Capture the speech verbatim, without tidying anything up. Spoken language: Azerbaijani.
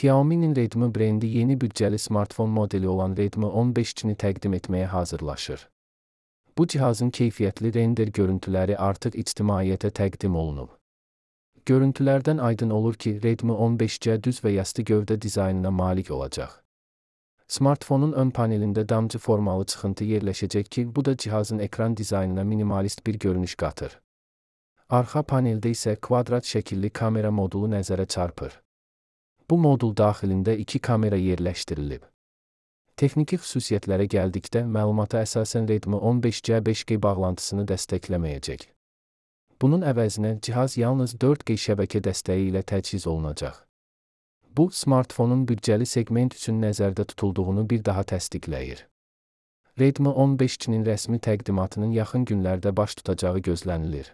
Xiaomi'nin Redmi brendi yeni bütçeli smartfon modeli olan Redmi on beş C'ni təqdim etməyə hazırlaşır. Bu cihazın keyfiyyətli render görüntüləri artıq ictimaiyyətə təqdim olunub. Görüntülərdən aydın olur ki, Redmi on beş C düz və yastı gövdə dizaynına malik olacaq. Smartfonun ön panelində damcı formalı çıxıntı yerləşəcək ki, bu da cihazın ekran dizaynına minimalist bir görünüş qatır. Arxa paneldə isə kvadrat şəkilli kamera modulu nəzərə çarpır. Bu modul daxilində iki kamera yerləşdirilib. Texniki xüsusiyyətlərə gəldikdə, məlumata əsasən Redmi on beş C beş G bağlantısını dəstəkləməyəcək. Bunun əvəzinə cihaz yalnız dörd G şəbəkə dəstəyi ilə təchiz olunacaq. Bu, smartfonun büdcəli segment üçün nəzərdə tutulduğunu bir daha təsdiqləyir. Redmi on beş C'nin rəsmi təqdimatının yaxın günlərdə baş tutacağı gözlənilir.